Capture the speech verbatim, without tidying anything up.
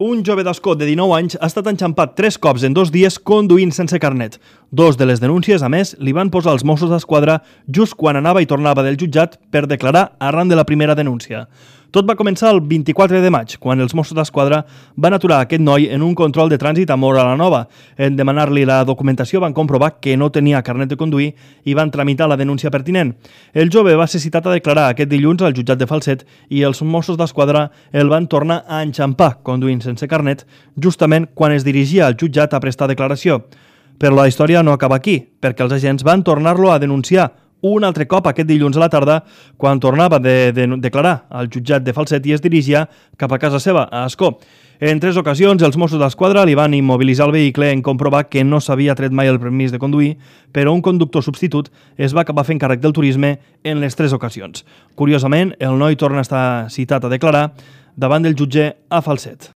Un jove d'Ascó de dinou anys ha estat enxampat tres cops en dos dies conduint sense carnet. Dos de les denúncies, a més, li van posar els Mossos d'Esquadra just quan anava i tornava del jutjat per declarar arran de la primera denúncia. Tot va començar el vint-i-quatre de maig, quan els Mossos d'Esquadra van aturar aquest noi en un control de trànsit a Móra la Nova. En demanar-li la documentació van comprovar que no tenia carnet de conduir i van tramitar la denúncia pertinent. El jove va ser citat a declarar aquest dilluns al jutjat de Falset i els Mossos d'Esquadra el van tornar a enxampar conduint sense carnet justament quan es dirigia al jutjat a prestar declaració. Però la història no acaba aquí, perquè els agents van tornar-lo a denunciar un altre cop aquest dilluns a la tarda quan tornava de, de declarar al jutjat de Falset i es dirigia cap a casa seva, a Ascó. En tres ocasions, els Mossos d'Esquadra li van immobilitzar el vehicle en comprovar que no s'havia tret mai el permís de conduir, però un conductor substitut es va acabar fent càrrec del turisme en les tres ocasions. Curiosament, el noi torna a estar citat a declarar davant del jutge a Falset.